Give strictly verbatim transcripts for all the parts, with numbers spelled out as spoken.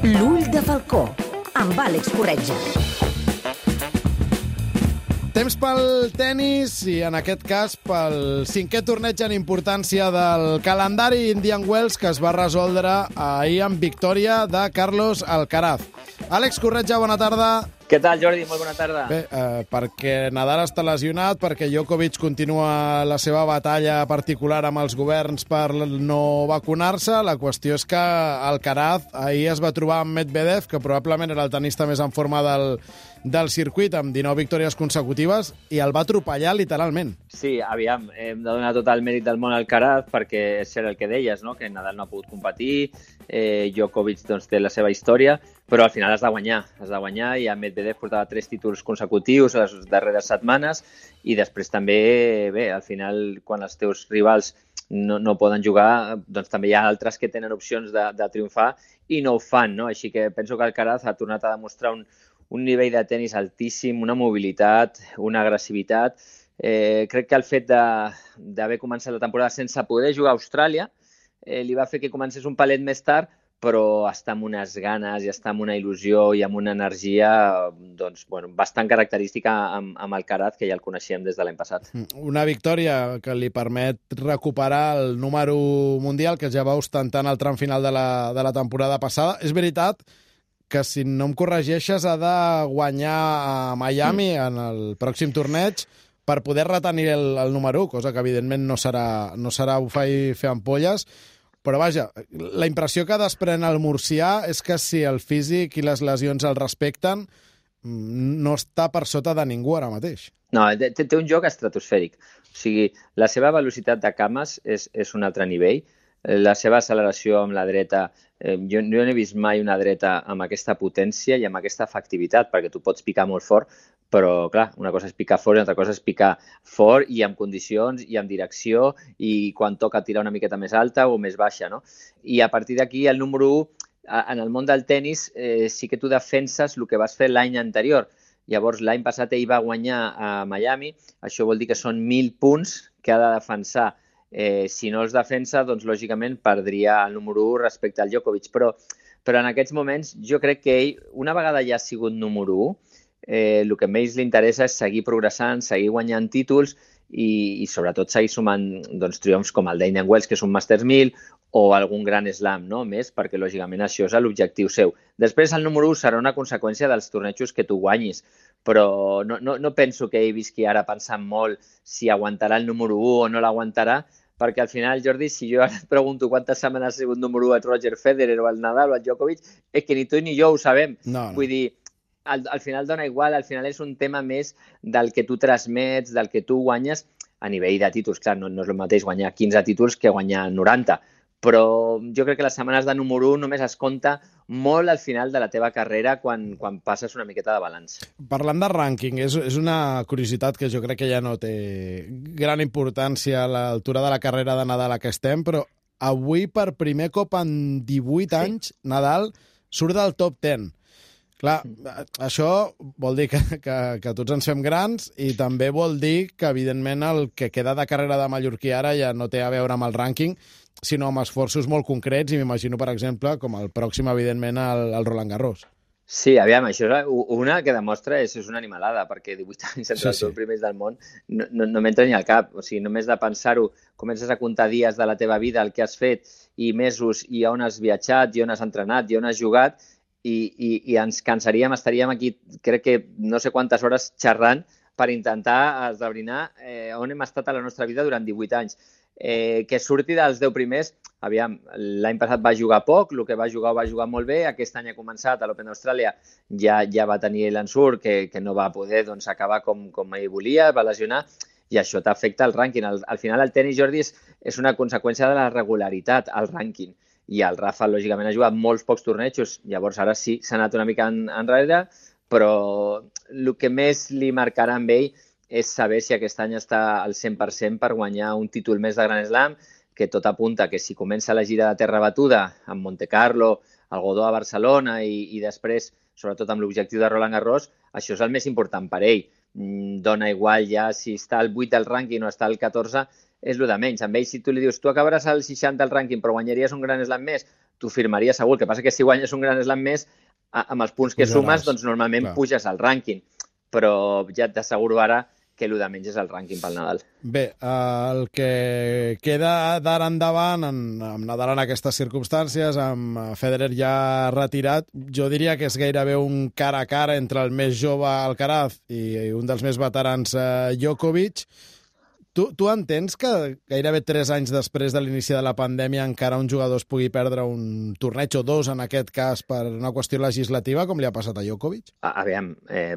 L'ull de falcó, amb Àlex Corretja. Temps pel tennis i, en aquest cas, pel cinquè torneig en importància del calendari Indian Wells, que es va resoldre ahir amb victòria de Carlos Alcaraz. Àlex Corretja, bona tarda. Què tal, Jordi? Molt bona tarda. Bé, eh, perquè Nadal està lesionat, perquè Djokovic continua la seva batalla particular amb els governs per no vacunar-se. La qüestió és que Alcaraz ahir es va trobar amb Medvedev, que probablement era el tenista més en forma del, del circuit, amb dinou victòries consecutives, i el va atropellar literalment. Sí, aviam, hem de donar tot el mèrit del món al Alcaraz, perquè és el que deies, no? Que Nadal no ha pogut competir, eh, Djokovic doncs, té la seva història, però al final has de guanyar, has de guanyar, i a Medvedev portava tres títols consecutius les darreres setmanes, i després també, bé, al final, quan els teus rivals no, no poden jugar, doncs també hi ha altres que tenen opcions de, de triomfar i no ho fan, no? Així que penso que Alcaraz ha tornat a demostrar un, un nivell de tenis altíssim, una mobilitat, una agressivitat. Eh, crec que el fet d'haver començat la temporada sense poder jugar a Austràlia eh, li va fer que comencés un palet més tard, però està amb unes ganes i està amb una il·lusió i amb una energia doncs, bueno, bastant característica amb, amb Alcaraz, que ja el coneixíem des de l'any passat. Una victòria que li permet recuperar el número mundial que ja va ostentant al tram final de la, de la temporada passada. És veritat que, si no em corregeixes, ha de guanyar a Miami mm. en el pròxim torneig per poder retenir el, el número u, cosa que evidentment no serà, no serà bufar i fer ampolles. Però vaja, la impressió que desprèn el murcià és que si el físic i les lesions el respecten, no està per sota de ningú ara mateix. No, té, té un joc estratosfèric. O sigui, la seva velocitat de cames és, és un altre nivell. La seva acceleració amb la dreta, eh, jo, jo no he vist mai una dreta amb aquesta potència i amb aquesta efectivitat, perquè tu pots picar molt fort, però, clar, una cosa és picar fort i una altra cosa és picar fort i amb condicions i amb direcció i quan toca tirar una miqueta més alta o més baixa, no? I a partir d'aquí, el número u, en el món del tennis, eh, sí que tu defenses el que vas fer l'any anterior. Llavors, l'any passat ell va guanyar a Miami, això vol dir que són mil punts que ha de defensar. Eh, si no els defensa, doncs, lògicament, perdria el número u respecte al Djokovic. Però, però en aquests moments, jo crec que ell, una vegada ja ha sigut número u, Eh, el que més li interessa és seguir progressant, seguir guanyant títols i, i sobretot seguir sumant doncs, triomfs com el d'Indian Wells, que és un Masters mil, o algun Grand Slam, no? Més, perquè lògicament això és l'objectiu seu. Després el número u serà una conseqüència dels tornejos que tu guanyis, però no, no, no penso que ell visqui ara pensant molt si aguantarà el número u o no l'aguantarà, perquè al final, Jordi, si jo ara et pregunto quantes setmanes ha sigut número u el Roger Federer o el Nadal o el Djokovic, és que ni tu ni jo ho sabem. No, no. Vull dir, Al, al final dona igual, al final és un tema més del que tu transmets, del que tu guanyes a nivell de títols. Clar, no, no és el mateix guanyar quinze títols que guanyar noranta, però jo crec que les setmanes de número u només es compta molt al final de la teva carrera quan, quan passes una miqueta de balanç. Parlant de rànquing, és, és una curiositat que jo crec que ja no té gran importància a l'altura de la carrera de Nadal a què estem, però avui per primer cop en divuit sí. anys Nadal surt del top deu. Clar, això vol dir que, que, que tots ens fem grans i també vol dir que, evidentment, el que queda de carrera de mallorquí ara ja no té a veure amb el rànquing, sinó amb esforços molt concrets, i m'imagino, per exemple, com el pròxim, evidentment, el, el Roland Garros. Sí, aviam, això és una que demostra és, és una animalada, perquè divuit anys entre sí, els dos sí. primers del món no, no, no m'entra ni al cap. O sigui, només de pensar-ho, comences a comptar dies de la teva vida, el que has fet, i mesos, i on has viatjat, i on has entrenat, i on has jugat, I, i, i ens cansaríem, estaríem aquí, crec que no sé quantes hores xerrant per intentar esdebrinar eh, on hem estat a la nostra vida durant divuit anys. Eh, que surti dels deu primers, aviam, l'any passat va jugar poc, el que va jugar ho va jugar molt bé, aquest any ha començat a l'Open d'Austràlia, ja, ja va tenir l'ensurt, que, que no va poder doncs, acabar com, com ell volia, va lesionar, i això t'afecta al rànquing. Al, al final el tenis, Jordi, és, és una conseqüència de la regularitat, al rànquing. I el Rafa, lògicament, ha jugat molts pocs tornejos, llavors ara sí, s'ha anat una mica en, enrere, però el que més li marcarà amb ell és saber si aquest any està al cent per cent per guanyar un títol més de Grand Slam, que tot apunta que si comença la gira de terra batuda amb Monte Carlo, el Godó a Barcelona i, i després, sobretot amb l'objectiu de Roland Garros, això és el més important per ell. Dona igual ja si està al vuit del rànquing o està al catorze, és el de menys. Amb ell, si tu li dius, tu acabaràs al seixanta al rànquing però guanyaries un Grand Slam més, t'ho firmaria segur. El que passa que si guanyes un Grand Slam més, amb els punts que sumes, doncs normalment clar. Puges al rànquing. Però ja t'asseguro ara que el de menys és el rànquing pel Nadal. Bé, el que queda d'ara endavant, en, amb Nadal en aquestes circumstàncies, amb Federer ja retirat, jo diria que és gairebé un cara a cara entre el més jove Alcaraz i un dels més veterans eh, Djokovic. Tu, tu entens que gairebé tres anys després de l'inici de la pandèmia encara un jugador es pugui perdre un torneig o dos, en aquest cas, per una qüestió legislativa, com li ha passat a Djokovic? A, aviam, eh,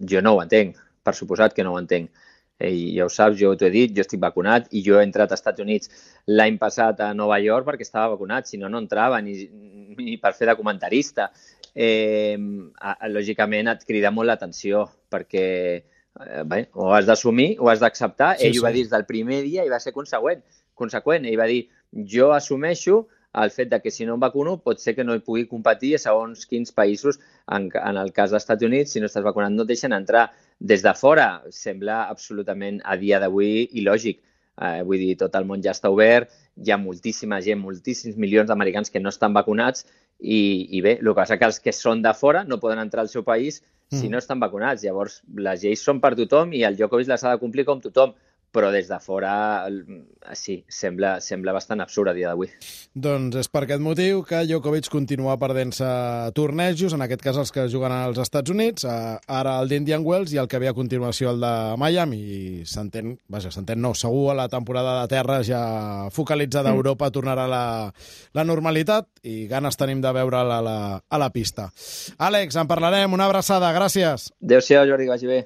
jo no ho entenc. Per suposat que no ho entenc. I ja ho saps, jo t'ho he dit, jo estic vacunat i jo he entrat als Estats Units l'any passat a Nova York perquè estava vacunat, si no, no entrava ni, ni per fer de comentarista. Eh, lògicament et crida molt l'atenció perquè eh, bé, ho has d'assumir, ho has d'acceptar. Sí, Ell sí. ho va dir des del primer dia i va ser conseqüent. conseqüent. Ell va dir, jo assumeixo el fet de que si no em vacuno pot ser que no hi pugui competir a segons quins països. En, en el cas dels Estats Units, si no estàs vacunat no et deixen entrar. Des de fora sembla absolutament a dia d'avui il·lògic. Eh, vull dir, tot el món ja està obert, hi ha moltíssima gent, moltíssims milions d'americans que no estan vacunats i, i bé, el que passa que els que són de fora no poden entrar al seu país si no estan vacunats. Llavors, les lleis són per tothom i el Djokovic les ha de complir com tothom. Però des de fora, sí, sembla, sembla bastant absurd a dia d'avui. Doncs és per aquest motiu que Djokovic continua perdent-se tornejos, en aquest cas els que juguen als Estats Units, ara el d'Indian Wells i el que ve a continuació el de Miami. I s'entén, vaja, s'entén no, segur a la temporada de terra ja focalitzada a Europa tornarà la, la normalitat i ganes tenim de veure'l a la, a la pista. Àlex, en parlarem, una abraçada, gràcies. Adéu-siau, Jordi, que vagi bé.